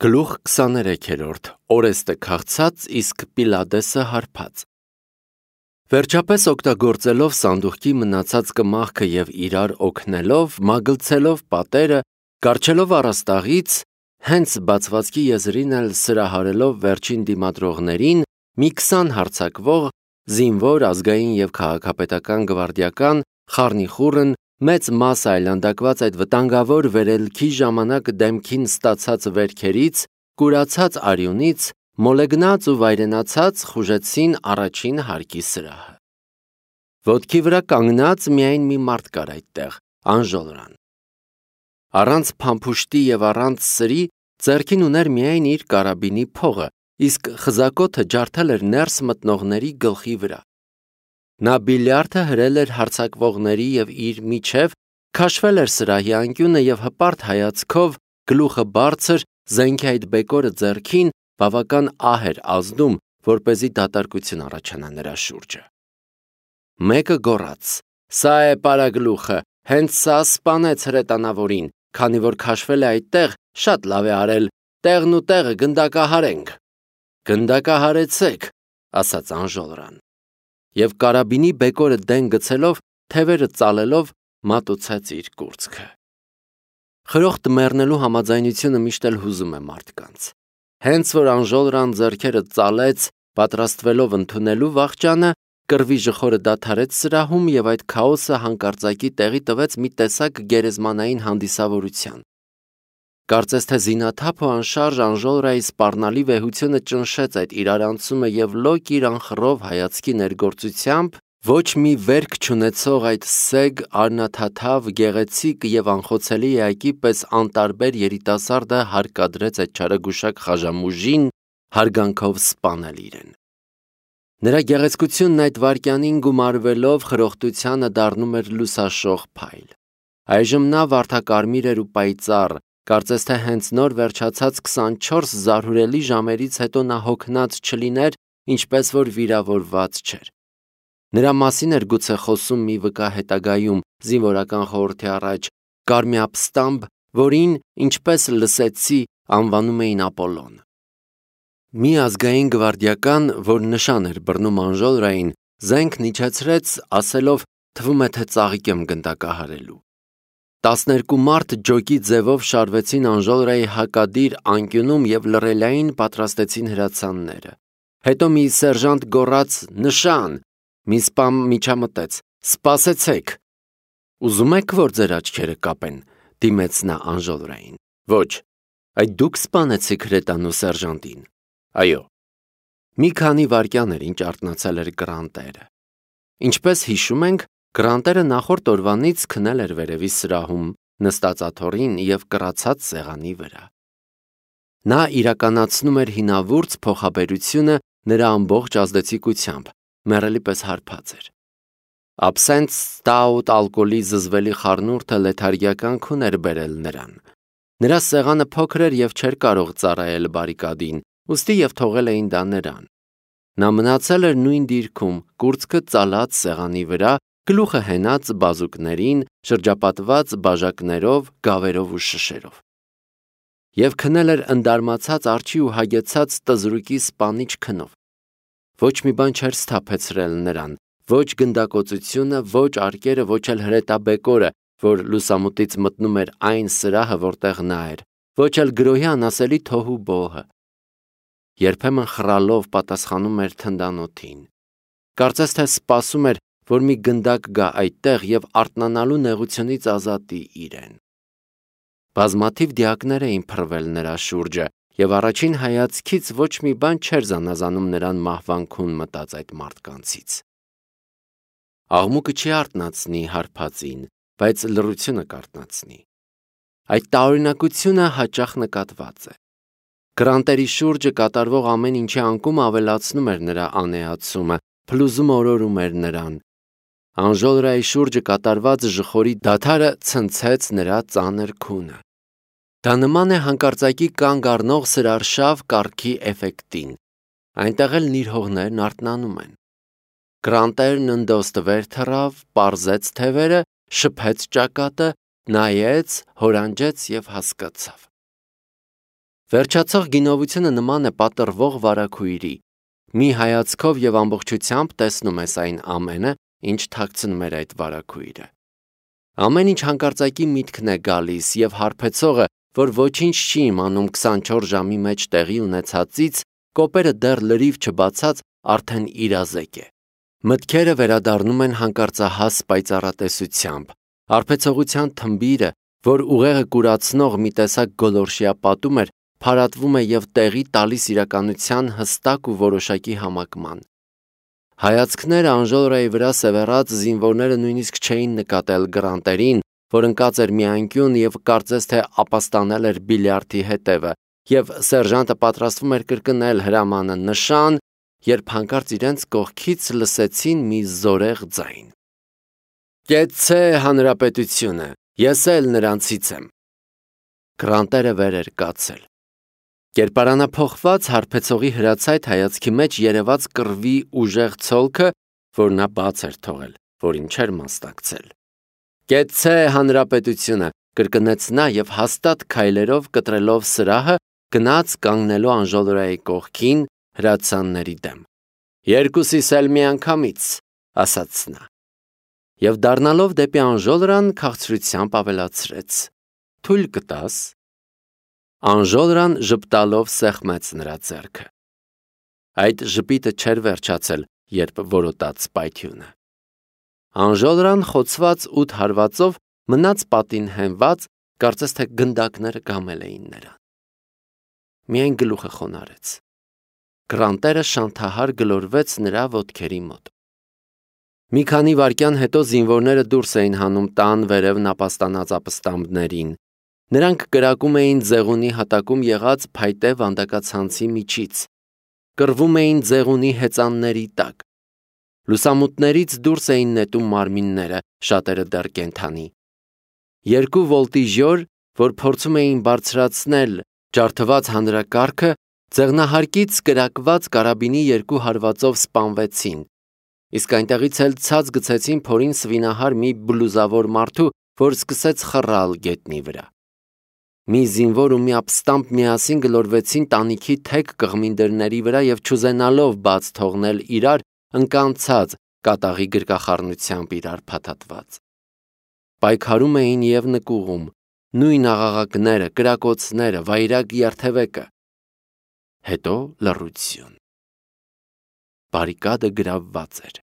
Գլուխ 23-րդ Օրեստը քաղցած, իսկ Պիլադեսը հարբած։ Վերջապես օգտագործելով սանդուղքի մնացած կմախքը եւ իրար օգնելով, մագլցելով պատերը, կառչելով առաստաղից, հենց բացվածքի եզրին էլ սրահարելով վերջին դիմադրողներին, մի 20 հարձակվող, զինվոր, ազգային եւ քաղաքապետական գվարդիական, խառնիխուռն, մեծ մաս այլանդակված այդ վտանգավոր վերելքի ժամանակ դեմքին ստացած վերքերից, կուրացած արյունից, մոլեգնած ու վայրենացած խուժեցին առաջին հարկի սրահը։ Ոտքի վրա կանգնած միայն մի մարդ կար այդտեղ, Անժոլրան։ Առանց փամփուշտի եւ առանց սրի ձեռքին ուներ միայն իր կարաբինի փողը, իսկ խզակոթը ջարդել էր ներս մտնողների գլխի վրա։ Նա բիլիարդը հրել էր հարձակվողների եւ իր միջև, քաշվել էր սրահի անկյունը եւ հպարտ հայացքով, գլուխը բարձր, զենքի այդ բեկորը ձեռքին, բավական ահ էր ազդում, որպեսզի դատարկություն առաջանա նրա շուրջը։ Մեկը գոռաց. «Սա է պարագլուխը, հենց սա սպանեց հրետանավորին, քանի որ քաշվել է այդտեղ, շատ լավ է արել, տեղն ու տեղը գնդակահարենք»։ «Գնդակահարեցեք», ասաց Անժոլրան։ Եվ կարաբինի բեկորը դեն գցելով, թևերը ծալելով, մատուցեց իր կուրծքը։ Խրոխտ մեռնելու համաձայնությունը միշտ էլ հուզում է մարդկանց։ Հենց որ Անժոլրան ձեռքերը ծալեց, պատրաստվելով ընդունելու վախճանը, կռվի ժխորը դադարեց սրահում եւ այդ քաոսը հանկարծակի տեղի տվեց մի տեսակ գերեզմանային հանդիսավորության։ Կարծես թե զինաթափ ու անշարժ Անժոլրայի սպառնալի վեհությունը ճնշեց այդ իրարանցումը եւ լոկ իր անխռով հայացքի ներգործությամբ ոչ մի վերք չունեցող այդ սեգ, արնաթաթավ, գեղեցիկ եւ անխոցելի էակի պես անտարբեր երիտասարդը հարկադրեց այդ չարագուշակ խաժամուժին հարգանքով սպանել իրեն։ Նրա գեղեցկությունն այդ վայրկյանին գումարվելով խրոխտությանը դառնում էր լուսաշող փայլ։ Այժմ նա վարդակարմիր էր ու պայծառ, կարծես թե հենց նոր վերջացած 24 զարհուրելի ժամերից հետո նա հոգնած չլիներ, ինչպես որ վիրավորված չէր։ Նրա մասին էր գուցե խոսում մի վկա հետագայում, զինվորական խորհրդի առաջ, Կարմիապստամբ, որին, ինչպես լսեցի, անվանում էին Ապոլոն։ Մի ազգային գվարդիական, որ նշան էր բռնում Անժոլրային, զենքն իջեցրեց, ասելով, թվում է թե ծաղիկ եմ գնդակահարելու։ 12 մարդ ջոկի ձևով շարվեցին Անժոլրայի հակադիր անկյունում եւ լռելային պատրաստեցին հրացանները։ Հետո մի սերժանտ գոռաց. «Նշան», մի սպա միջամտեց. «Սպասեցեք»։ «Ուզում եք, որ ձեր աչքերը կապեն», դիմեց նա Անժոլրային։ «Ոչ, այդ դուք սպանեցիք հրետանու սերժանտին»։ «Այո»։ Մի քանի վայրկյան էր, ինչ արթնացել էր Գրանտերը։ Ինչպես հիշում ենք, Գրանտերը նախորդ օրվանից քնել էր վերևի սրահում, նստած աթոռին եւ կռացած սեղանի վրա։ Նա իրականացնում էր հինավուրց փոխաբերությունը նրա ամբողջ ազդեցիկությամբ, մեռելի պես հարբած էր։ Աբսենտ, ստաուտ, ալկոհոլի զզվելի խառնուրդը լեթարգիական քուն էր բերել նրան։ Նրա սեղանը փոքր էր եւ չէր կարող ծառայել բարիկադին, ուստի եւ թողել էին դա նրան։ Նա մնացել էր նույն դիրքում, կուրծքը ծալած սեղանի վրա, գլուխը հենած բազուկներին, շրջապատված բաժակներով, գավերով ու շշերով։ Եվ քնել էր ընդարմացած արջի ու հագեցած տզրուկի սպանիչ քնով։ Ոչ մի բան չէր սթափեցրել նրան, ոչ գնդակոծությունը, ոչ արկերը, ոչ էլ հրետաբեկորը, որ լուսամուտից մտնում էր այն սրահը, որտեղ նա էր, ոչ էլ գրոհի անասելի թոհու բոհը։ Երբեմն խռալով պատասխանում էր թնդանոթին։ Կարծես թե սպասում էր, որ մի գնդակ գա այդտեղ եւ արթնանալու նեղությունից ազատի իրեն։ Բազմաթիվ դիակներ էին փռվել նրա շուրջը, եւ առաջին հայացքից ոչ մի բան չէր զանազանում նրան մահվանքուն մտած այդ մարդկանցից։ Աղմուկը չի արթնացնի հարբածին, բայց լռությունը կարթնացնի։ Այդ տարօրինակությունը հաճախ նկատված է։ Գրանտերի շուրջը կատարվող ամեն ինչի անկումը ավելացնում էր նրա անեացումը, փլուզումը օրորում էր նրան։ Անժոլրայի շուրջը կատարված ժխորի դադարը ցնցեց նրա ծանր քունը։ Դա նման է հանկարծակի կանգ առնող սրարշավ կառքի էֆեկտին։ Այնտեղ էլ նիրհողներն արթնանում են։ Գրանտերն ընդոստը վեր թռավ, պարզեց թևերը, շփեց ճակատը, նայեց, հորանջեց եւ հասկացավ։ Վերջացող գինովությունը նման է պատռվող վարագույրի։ Մի հայացքով եւ ամբողջությամբ տեսնում ես այն ամենը, ինչ թաքցնում էր այդ վարագույրը։ Ամեն ինչ հանկարծակի միտքն է գալիս եւ հարբեցողը, որ ոչինչ չի իմանում 24 ժամի մեջ տեղի ունեցածից, կոպերը դեռ լրիվ չբացած արդեն իրազեկ է։ Մտքերը վերադառնում են հանկարծահաս պայծառատեսությամբ, արբեցողության թմբիրը, որ ուղեղը կուրացնող մի տեսակ գոլորշիա պատում էր, փարատվում է եւ տեղի տալիս իրականության հստակ ու որոշակի համակման։ Հայացքները Անժելայի վրա սևեռած զինվորները նույնիսկ չէին նկատել Գրանտերին, որ ընկած էր մի անկյուն եւ կարծես թե ապաստանել էր բիլիարդի հետևը, եւ սերժանտը պատրաստվում էր կրկնել հրամանը նշան, երբ հանկարծ իրենց կողքից լսեցին մի զորեղ ձայն. «Կեցցե հանրապետությունը, ես էլ նրանցից եմ»։ Գրանտերը վեր էր կացել։ Կերպարանափոխված հարբեցողի հրացայտ հայացքի մեջ երևաց կռվի ուժեղ ցոլքը, որ նա բաց էր թողել, որին չէր մասնակցել։ «Կեցցե հանրապետությունը», կրկնեց նա եւ հաստատ քայլերով կտրելով սրահը գնաց կանգնելու Անժելայի կողքին հրացանների դեմ։ «Երկուսիս էլ միանգամից», ասաց նա։ Եվ դառնալով դեպի Անժելան քաղցրությամբ ավելացրեց. «Թույլ կտաս»։ Անժելան ժպտալով սեղմեց նրա ձեռքը։ Այդ ժպիտը չէր վերջացել, երբ որոտաց պայթյունը։ Անժելան խոցված 8 հարվածով մնաց պատին հենված, կարծես թե գնդակները գամել էին նրան։ Միայն գլուխը խոնարհեց։ Գրանտերը շանթահար գլորվեց նրա ոտքերի մոտ։ Մի քանի վայրկյան հետո զինվորները դուրս էին հանում տան վերև նապաստանած ապստամբներին։ Նրանք կրակում էին ձեղունի հատակում եղած փայտե վանդակացանցի միջից։ Կռվում էին ձեղունի հեծանների տակ։ Լուսամուտներից դուրս էին նետում մարմինները, շատերը դեռ կենդանի։ Երկու վոլտիժյոր, որ փորձում էին բարձրացնել ջարդված հանրակարգը, ձեղնահարկից կրակված կարաբինի 2 հարվածով սպանվեցին, իսկ այնտեղից էլ ցած գցեցին փորին սվինահար մի բլուզավոր մարդու, որ սկսեց խռալ գետնի վրա։ Մի զինվոր ու մի ապստամբ միասին գլորվեցին տանիքի թեք կղմին դռների վրա եւ չուզենալով բաց թողնել իրար, ընկան ցած կատաղի գրկախառնությամբ իրար փաթաթված։ Պայքարում էին եւ նկուղում, նույն աղաղակները, կրակոցները, վայրագ երթևեկը։ Հետո լռություն։ Բարիկադը գրավված էր։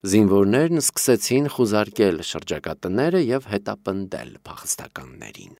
Զինվորներն սկսեցին խուզարկել շրջակա տները եւ հետապնդել փախստականներին։